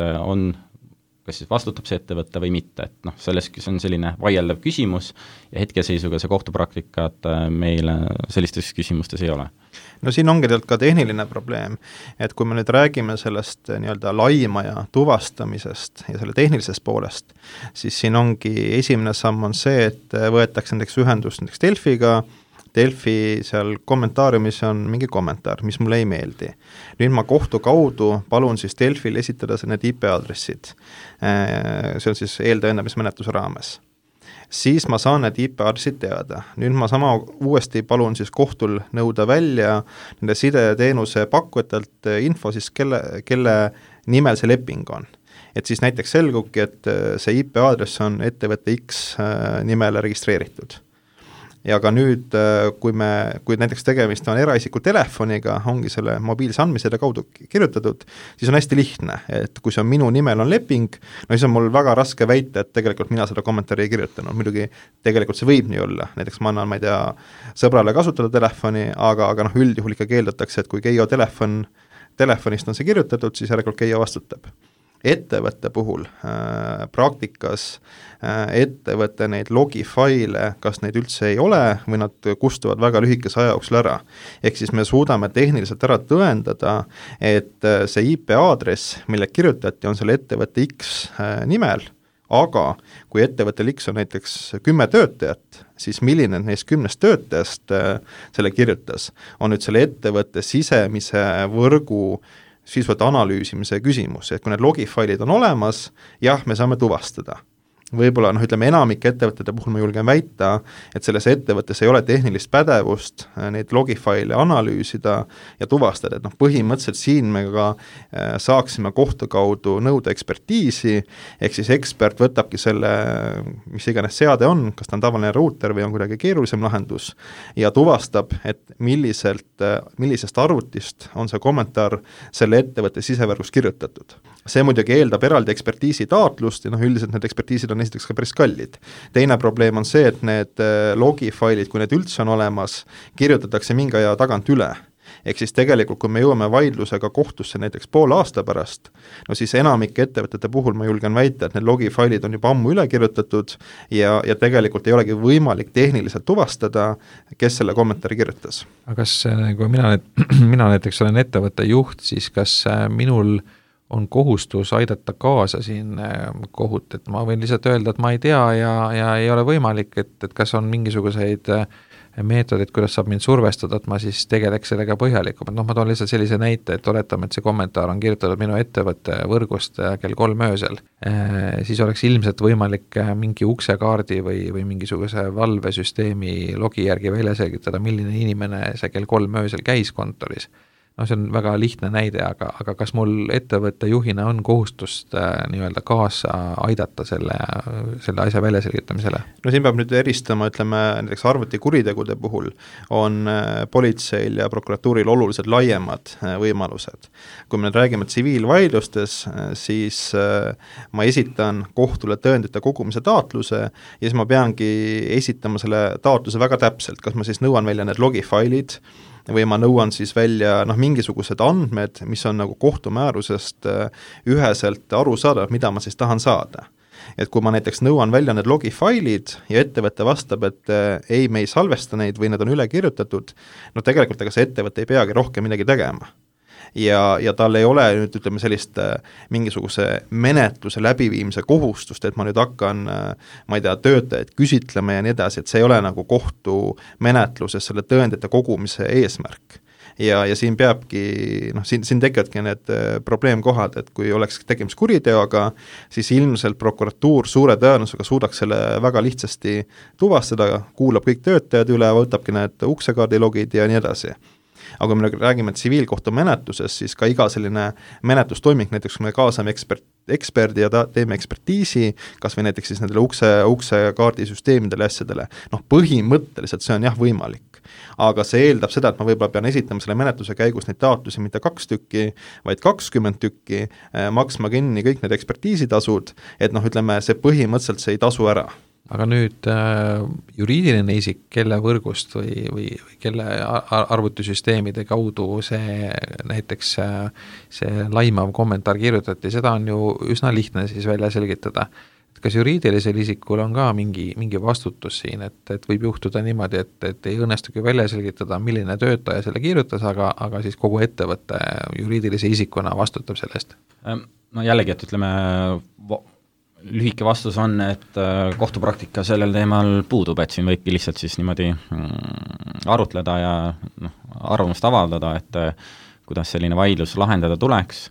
vastutab see ettevõte või mitte, et selles on selline vaieldav küsimus ja hetkeseisuga see kohtupraktikat meil sellistes küsimustes ei ole. No siin ongi tegelikult ka tehniline probleem, et kui me nüüd räägime sellest nii-öelda laimaja tuvastamisest ja selle tehnilisest poolest, siis siin ongi esimene samm on see, et võetakse näiteks ühendust näiteks Delfiga, Delfi seal kommentaariumis on mingi kommentaar, mis mulle ei meeldi. Nüüd ma kohtu kaudu palun siis Delfil esitada need IP-aadressid. See on siis eeltõendamismenetluse raames. Siis ma saan need IP-aadressid teada. Nüüd ma sama uuesti palun siis kohtul nõuda välja nende sideteenuse pakkujatelt info siis, kelle nimel see leping on. Et siis näiteks selgubki, et see IP-aadress on ettevõtte X nimele registreeritud. Ja ka nüüd, kui näiteks tegemist on eraisiku telefoniga, ongi selle mobiilse andmisede kaudu kirjutatud, siis on hästi lihtne, et kui see on minu nimel on leping, siis on mul väga raske väita, et tegelikult mina seda kommentaari ei kirjutanud. Muidugi tegelikult see võib nii olla, näiteks ma annan, ma ei tea, sõbrale kasutada telefoni, aga üldjuhul ikka keeldatakse, et kui Keijo telefonist on see kirjutatud, siis järelikult Keijo vastutab. Ettevõtte puhul praktikas ettevõtte neid logifaile, kas neid üldse ei ole või nad kustuvad väga lühikese aja jooksul ära. Ehk siis me suudame tehniliselt ära tõendada, et see IP-aadress, mille kirjutati, on selle ettevõtte X nimel, aga kui ettevõttel X on näiteks 10 töötajat, siis milline neist 10 töötajast selle kirjutas, on nüüd selle ettevõtte sisemise võrgu sisuliselt analüüsimise küsimus, et kui need logifailid on olemas, jah, me saame tuvastada. Võib-olla, ütleme enamike ettevõtete puhul ma julgen väita, et selles ettevõttes ei ole tehnilist pädevust neid logifaile analüüsida ja tuvastada, et põhimõtteliselt siin me ka saaksime kohtu kaudu nõuda ekspertiisi, ehk siis ekspert võtabki selle, mis iganes seade on, kas ta on tavaline ruuter või on kuidagi keerulisem lahendus, ja tuvastab, et millisest arvutist on see kommentaar selle ettevõtte sisevõrgus kirjutatud. See muidugi eeldab eraldi ekspertiisi taotlust ja üldiselt need ekspertiisid on esiteks ka päris kallid. Teine probleem on see, et need logifailid, kui need üldse on olemas, kirjutatakse mingi aja tagant üle. Ehk siis tegelikult, kui me jõuame vaidlusega kohtusse näiteks poole aasta pärast, siis enamike ettevõtete puhul ma julgen väita, et need logifailid on juba ammu üle kirjutatud ja tegelikult ei olegi võimalik tehniliselt tuvastada, kes selle kommentaari kirjutas. Aga kas, kui mina näiteks olen ettevõtte juht, siis kas minul on kohustus aidata kaasa siin kohut, et ma võin lihtsalt öelda, et ma ei tea ja ei ole võimalik, et kas on mingisuguseid meetodid, kuidas saab mind survestada, et ma siis tegeleks sellega põhjalikum. Ma toon lihtsalt sellise näite, et oletame, et see kommentaar on kirjutatud minu ettevõtte võrgust kell 3 öösel. Siis oleks ilmselt võimalik mingi uksekaardi või mingisuguse valvesüsteemi logi järgi välja selgitada, milline inimene see kell 3 öösel käis kontoris. See on väga lihtne näide, aga kas mul ettevõtte juhina on kohustust nii-öelda kaasa aidata selle asja väljaselgitamisele? Siin peab nüüd eristama, ütleme, näiteks arvutikuritegude puhul on politseil ja prokuratuuril oluliselt laiemad võimalused. Kui me nüüd räägime tsiviilvaidlustes, siis ma esitan kohtule tõendite kogumise taotluse ja siis ma peangi esitama selle taotluse väga täpselt, kas ma siis nõuan välja need logifailid või ma nõuan siis välja mingisugused andmed, mis on nagu kohtumäärusest üheselt aru saada, mida ma siis tahan saada. Et kui ma näiteks nõuan välja need logifailid ja ettevõte vastab, et ei, me ei salvesta neid või need on üle kirjutatud, tegelikult ega see ettevõte ei peagi rohkem midagi tegema. Ja tal ei ole nüüd, ütleme, sellist mingisuguse menetluse läbiviimise kohustust, et ma nüüd hakkan, ma ei tea, töötajaid küsitlema ja nii edasi, et see ei ole nagu kohtumenetluses selle tõendite kogumise eesmärk. Ja siin peabki, siin tekivadki need probleemkohad, et kui oleks tegemist kuriteoga, siis ilmselt prokuratuur suure tõenäosusega suudaks selle väga lihtsasti tuvastada, kuulab kõik töötajad üle, võtabki need uksekaardilogid ja nii edasi. aga kui me räägime tsiviilkohtumenetluses, siis ka iga selline menetlustoiming, näiteks kui me kaasame eksperdi ja teeme ekspertiisi, kas või näiteks siis nendele ukse kaardisüsteemidele asjadele, põhimõtteliselt see on jah võimalik. Aga see eeldab seda, et ma võib-olla pean esitama selle menetluse käigus neid taotlusi mitte 2 tükki, vaid 20 tükki, maksma kinni kõik need ekspertiisitasud, et ütleme, see põhimõtteliselt see ei tasu ära. Aga nüüd juriidiline isik, kelle võrgust või kelle arvutisüsteemide kaudu see näiteks see laimav kommentaar kirjutati, seda on ju üsna lihtne siis välja selgitada. Kas juriidilisel isikul on ka mingi vastutus siin, et võib juhtuda niimoodi, et ei õnnestugi välja selgitada, milline töötaja selle kirjutas, aga siis kogu ettevõtte juriidilise isikuna vastutab sellest? No jällegi, et ütleme, lühike vastus on, et kohtupraktika sellel teemal puudub, et siin võibki lihtsalt siis niimoodi arutleda ja arvamust avaldada, et kuidas selline vaidlus lahendada tuleks.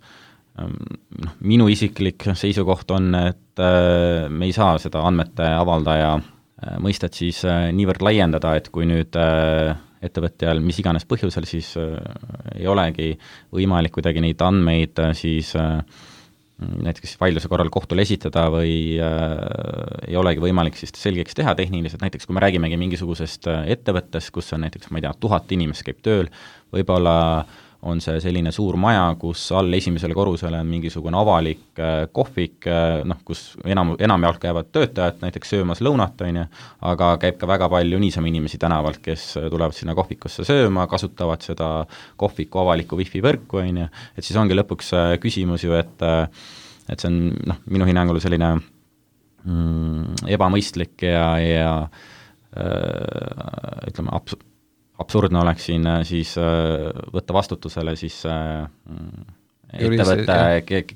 Minu isiklik seisukoht on, et me ei saa seda andmete avaldaja mõistet siis niivõrd laiendada, et kui nüüd ettevõtjal mis iganes põhjusel siis ei olegi võimalik kuidagi neid andmeid siis näiteks vaidluse korral kohtule esitada või ei olegi võimalik siis selgeks teha tehniliselt, näiteks kui me räägimegi mingisugusest ettevõttest, kus on näiteks, ma ei tea, 1000 inimest käib tööl, võib-olla on see selline suur maja, kus all esimesele korrusele on mingisugune avalik kohvik, kus enamjaolt käivad töötajad näiteks söömas lõunat, aga käib ka väga palju niisama inimesi tänavalt, kes tulevad sinna kohvikusse sööma, kasutavad seda kohviku avalikku wifi võrku, et siis ongi lõpuks küsimus ju, et see on minu hinnangul selline ebamõistlik ja ütleme, absurdne oleks siin siis võtta vastutusele siis ettevõtte,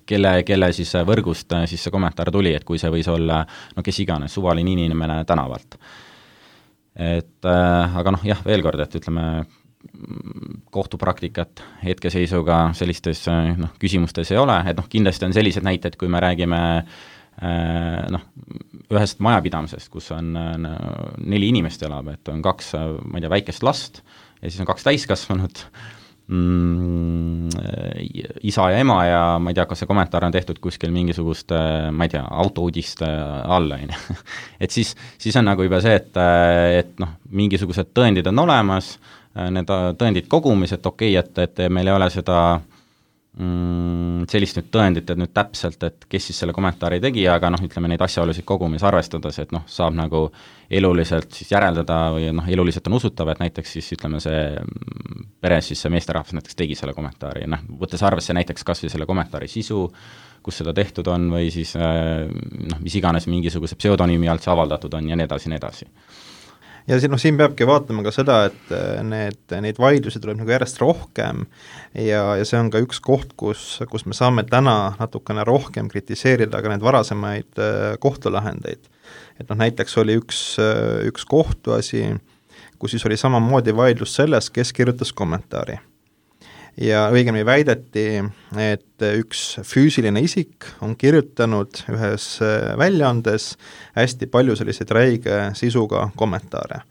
kelle siis võrgust siis see kommentaar tuli, et kui see võis olla kes iganes, suvaline inimene tänavalt. Aga jah, veel kord, et ütleme, kohtupraktikat hetkeseisuga sellistes küsimustes ei ole, et kindlasti on sellised näited, kui me räägime ühest majapidamisest, kus on 4 inimest elab, et on 2, ma ei tea, väikest last ja siis on 2 täiskasvanut, isa ja ema ja ma ei tea, kas see kommentaar on tehtud kuskil mingisugust, ma ei tea, autouudiste alla, et siis on nagu juba see, et mingisugused tõendid on olemas, need tõendid kogumis, et okei, et meil ei ole seda sellist nüüd tõendit, et nüüd täpselt, et kes siis selle kommentaari tegi, aga ütleme neid asjaolusid kogumis arvestades, et saab nagu eluliselt siis järeldada või eluliselt on usutav, et näiteks siis ütleme see peres siis see meesterahvas näiteks tegi selle kommentaari, võttes arvesse näiteks kas või selle kommentaari sisu, kus seda tehtud on või siis mis iganes mingisuguse pseudonüümi alt see avaldatud on ja nii edasi. Ja siin peabki vaatama ka seda, et neid vaidlusi tuleb nagu järjest rohkem ja see on ka üks koht, kus me saame täna natukene rohkem kritiseerida ka neid varasemaid kohtulahendeid. Et näiteks oli üks kohtuasi, kus siis oli samamoodi vaidlus sellest, kes kirjutas kommentaari. Ja õigemini väideti, et üks füüsiline isik on kirjutanud ühes väljaandes hästi palju selliseid räige sisuga kommentaare.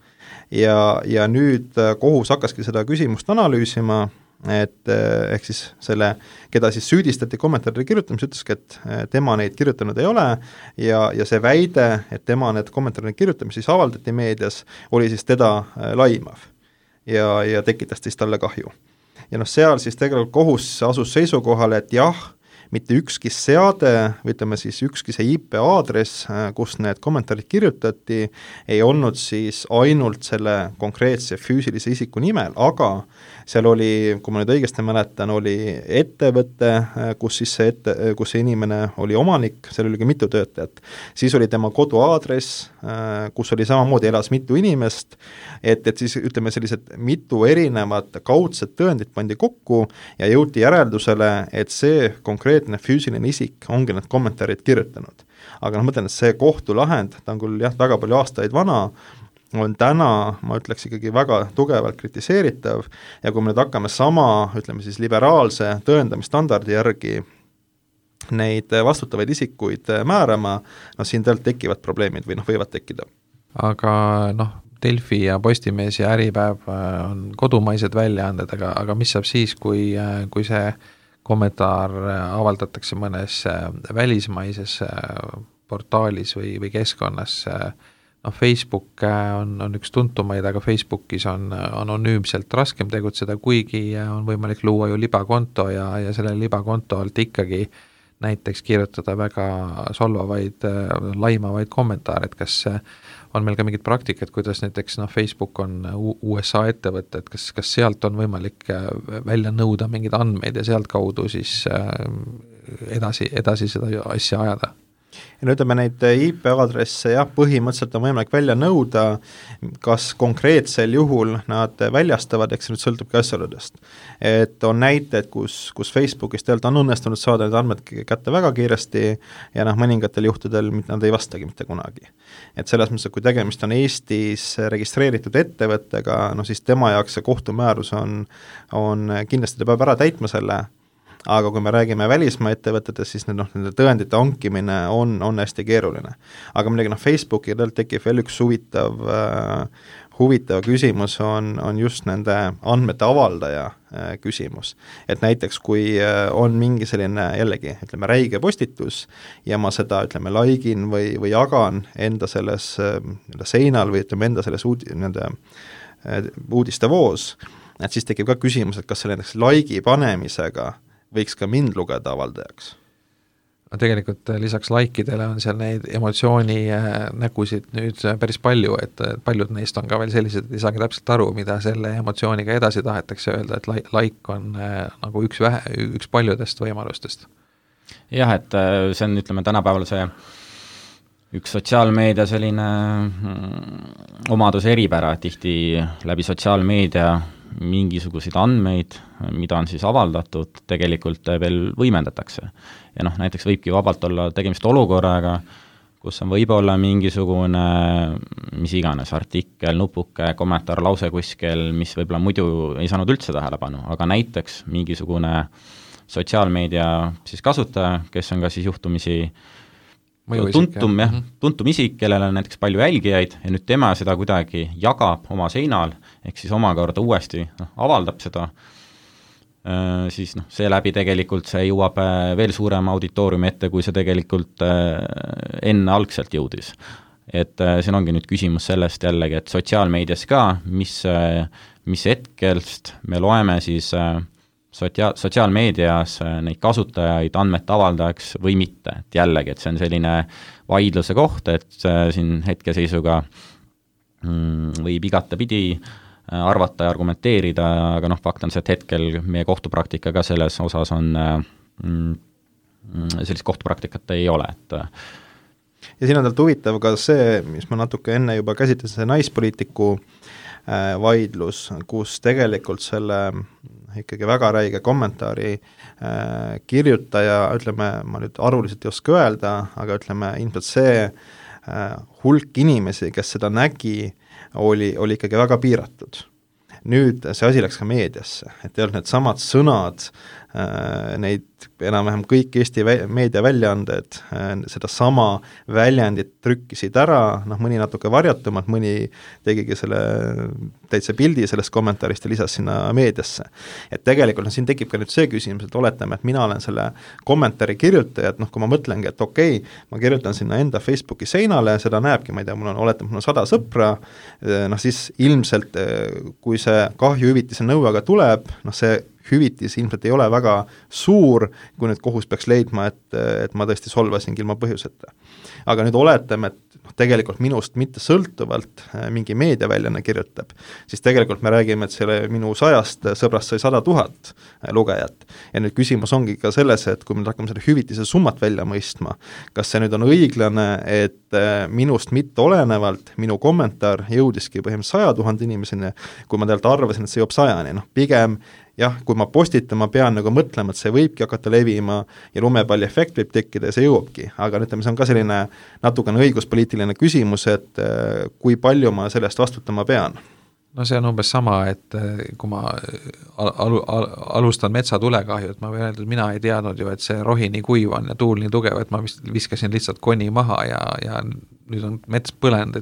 Ja nüüd kohus hakkaski seda küsimust analüüsima, et ehk siis selle, keda siis süüdistati kommentaaride kirjutamise, ütleski, et tema neid kirjutanud ei ole ja see väide, et tema need kommentaaride kirjutamise siis avaldati meedias, oli siis teda laimav ja tekitas siis talle kahju. Ja seal siis tegelikult kohus asus seisukohale, et jah, mitte ükski seade, või ütleme siis ükski see IP aadress, kus need kommentaarid kirjutati, ei olnud siis ainult selle konkreetse füüsilise isiku nimel, aga seal oli, kui ma nüüd õigesti mäletan, oli ettevõte, kus see inimene oli omanik, seal oli ka mitu töötajat. Siis oli tema koduaadress, kus oli samamoodi elas mitu inimest, et siis ütleme sellised mitu erinevat kaudset tõendit pandi kokku ja jõuti järeldusele, et see konkreetne füüsiline isik ongi need kommentaarid kirjutanud. Aga ma mõtlen, et see kohtulahend, ta on küll jah, väga palju aastaid vana, on täna, ma ütleks ikkagi väga tugevalt kritiseeritav ja kui me nüüd hakkame sama, ütleme siis liberaalse tõendamisstandardi järgi neid vastutavaid isikuid määrama, siin tegelikult tekivad probleemid või võivad tekkida. Aga Delfi ja Postimees ja Äripäev on kodumaised väljaanded, aga mis saab siis, kui see kommentaar avaldatakse mõnes välismaises portaalis või keskkonnas, Facebook on üks tuntumaid, aga Facebookis on anonüümselt raskem tegutseda, kuigi on võimalik luua ju libakonto ja selle libakonto alt ikkagi näiteks kirjutada väga solvavaid, laimavaid kommentaare, et kas on meil ka mingid praktikad, kuidas näiteks Facebook on USA ettevõte, et kas sealt on võimalik välja nõuda mingeid andmeid ja sealt kaudu siis edasi seda asja ajada? Ja no ütleme, neid IP-aadresse jah, põhimõtteliselt on võimalik välja nõuda, kas konkreetsel juhul nad väljastavad, eks see nüüd sõltubki asjaoludest. Et on näited, kus Facebookis tegelikult on õnnestunud saada need andmed kätte väga kiiresti ja mõningatel juhtudel nad ei vastagi mitte kunagi. Et selles mõttes, kui tegemist on Eestis registreeritud ettevõttega, siis tema jaoks see kohtumäärus on kindlasti ta peab ära täitma selle, aga kui me räägime välismaa ettevõtetest, siis nende tõendite hankimine on hästi keeruline. Aga muidugi Facebooki tekib veel üks huvitav küsimus on just nende andmete avaldaja küsimus. Et näiteks kui on mingi selline jällegi, ütleme, räige postitus ja ma seda, ütleme, likein või jagan enda selles seinal või ütleme enda selles uudistevoos, et siis tekib ka küsimus, et kas selle näiteks like'i panemisega võiks ka mind lugeda avaldajaks? Tegelikult lisaks laikidele on seal neid emotsiooni nägusid nüüd päris palju, et paljud neist on ka veel sellised, et ei saagi täpselt aru, mida selle emotsiooniga edasi tahetakse öelda, et like on nagu üks paljudest võimalustest. Jah, et see on, ütleme, tänapäeval see üks sotsiaalmeedia selline omaduse eripära, tihti läbi sotsiaalmeedia mingisuguseid andmeid, mida on siis avaldatud, tegelikult veel võimendatakse. Ja näiteks võibki vabalt olla tegemist olukorraga, kus on võib-olla mingisugune, mis iganes, artikkel, nupuke, kommentaar, lause kuskil, mis võib-olla muidu ei saanud üldse tähelepanu, aga näiteks mingisugune sotsiaalmeedia siis kasutaja, kes on ka siis juhtumisi tuntum isik, kellel on näiteks palju jälgijaid ja nüüd tema seda kuidagi jagab oma seinal, ehk siis omakorda uuesti avaldab seda, siis seeläbi tegelikult see jõuab veel suurema auditooriumi ette, kui see tegelikult enne algselt jõudis. Et siin ongi nüüd küsimus sellest jällegi, et sotsiaalmeedias ka, mis hetkelst me loeme siis sotsiaalmeedias neid kasutajaid andmete avaldajaks või mitte, et jällegi, et see on selline vaidluse koht, et siin hetkeseisuga võib igatepidi arvata ja argumenteerida, aga fakt on see, et hetkel meie kohtupraktika ka selles osas on, sellist kohtupraktikat ei ole, et ja siin on talt huvitav ka see, mis ma natuke enne juba käsitlesin, see naispoliitiku vaidlus, kus tegelikult selle ikkagi väga räige kommentaari kirjutaja, ütleme, ma nüüd arvuliselt ei oska öelda, aga ütleme, ilmselt see hulk inimesi, kes seda nägi, oli ikkagi väga piiratud. Nüüd see asi läks ka meediasse, et ei olnud need samad sõnad, neid enam-vähem kõik Eesti meediaväljaanded seda sama väljendit trükkisid ära, mõni natuke varjatumalt, mõni tegigi selle täitsa pildi sellest kommentaarist ja lisas sinna meediasse. Et tegelikult siin tekib ka nüüd see küsimus, et oletame, et mina olen selle kommentaari kirjutaja, et kui ma mõtlengi, et okei, ma kirjutan sinna enda Facebooki seinale, seda näebki, ma ei tea, mul on 100 sõpra, siis ilmselt, kui see kahjuhüvitise nõuega tuleb, see hüvitis ilmselt ei ole väga suur, kui nüüd kohus peaks leidma, et ma tõesti solvasingi ilma põhjuseta. Aga nüüd oletame, et tegelikult minust mitte sõltuvalt mingi meediaväljaanne kirjutab, siis tegelikult me räägime, et selle minu 100 sõbrast sai 100 000 lugejat. Ja nüüd küsimus ongi ka selles, et kui me hakkame selle hüvitise summat välja mõistma, kas see nüüd on õiglane, et minust mitte olenevalt minu kommentaar jõudiski põhimõtteliselt 100 000 inimeseni, kui ma tegelikult arvasin, et see jõuab 100-ni, pigem jah, kui ma postitan, ma pean mõtlema, et see võibki hakata levima ja lumepalli efekt võib tekkida ja see jõuabki, aga ütleme, see on ka selline natukene õiguspoliitiline küsimus, et kui palju ma sellest vastutama pean. No see on umbes sama, et kui ma alustan metsatulekahju, et ma võin öelda, et mina ei teadnud ju, et see rohi nii kuiv on ja tuul nii tugev, et ma viskasin lihtsalt koni maha ja nüüd on mets põlenud,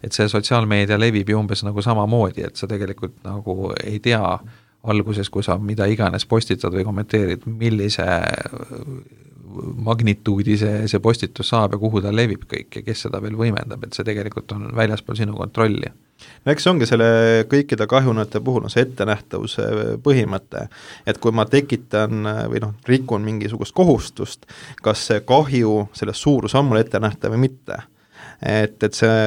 et see sotsiaalmeedia levib ju umbes nagu samamoodi, et sa tegelikult nagu ei tea alguses, kui sa mida iganes postitad või kommenteerid, millise magnituudi see postitus saab ja kuhu ta levib kõik ja kes seda veel võimendab, et see tegelikult on väljaspool sinu kontrolli. No eks see ongi selle kõikide kahjunate puhul on see ettenähtavuse põhimõte, et kui ma tekitan või rikun mingisugust kohustust, kas see kahju, selle suurus on mul ettenähtav või mitte. Et see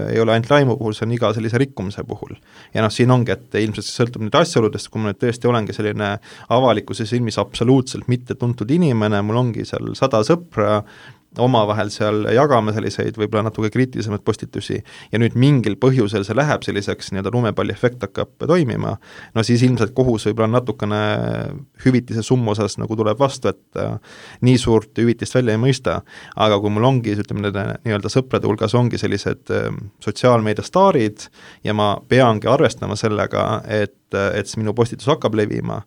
ei ole ainult laimu puhul, see on iga sellise rikkumise puhul. Ja siin ongi, et ilmselt see sõltub nüüd asjaoludest, kui ma nüüd tõesti olengi selline avalikkuse silmis absoluutselt mitte tuntud inimene, mul ongi seal 100 sõpra, omavahel seal jagame selliseid võib-olla natuke kriitilisemaid postitusi ja nüüd mingil põhjusel see läheb selliseks lumepalli efekt hakkab toimima, no siis ilmselt kohus võib-olla natukene hüvitise summa osas nagu tuleb vastu, et nii suurt hüvitist välja ei mõista, aga kui mul ongi, ütleme nii-öelda sõprade hulgas ongi sellised sotsiaalmeedia staarid ja ma peangi arvestama sellega, et minu postitus hakkab levima,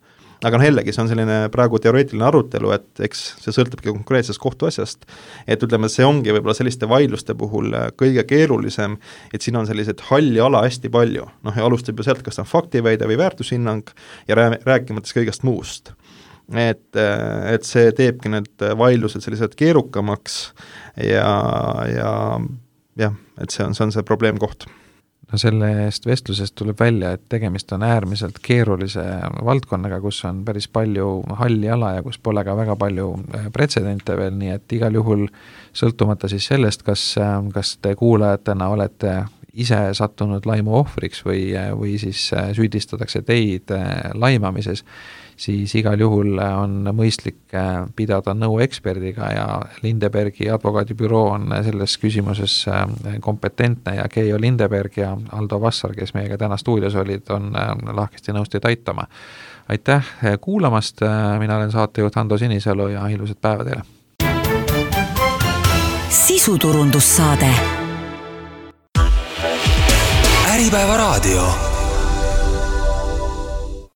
aga jällegi, see on selline praegu teoreetiline arutelu, et eks see sõltubki konkreetsest kohtuasjast, et ütleme, see ongi võib-olla selliste vaidluste puhul kõige keerulisem, et siin on selliseid halli ala hästi palju, ja alustab ju sealt, kas on faktiväide või väärtushinnang ja rääkimates kõigest muust. Et see teebki need vaidlused sellised keerukamaks ja et see on see probleemkoht. No sellest vestlusest tuleb välja, et tegemist on äärmiselt keerulise valdkonnaga, kus on päris palju halli ala ja kus pole ka väga palju pretsedente veel, nii et igal juhul sõltumata siis sellest, kas te kuulajatena olete ise sattunud laimu ohvriks või siis süüdistatakse teid laimamises, siis igal juhul on mõistlik pidada nõu eksperdiga ja Lindebergi advokaadibüroo on selles küsimuses kompetentne ja Keijo Lindeberg ja Aldo Vassar, kes meiega täna stuudios olid, on lahkesti nõus teid aitama. Aitäh kuulamast, mina olen saatejuht Ando Sinisalu ja ilusat päeva teile! Sisuturundussaade. Äripäeva raadio.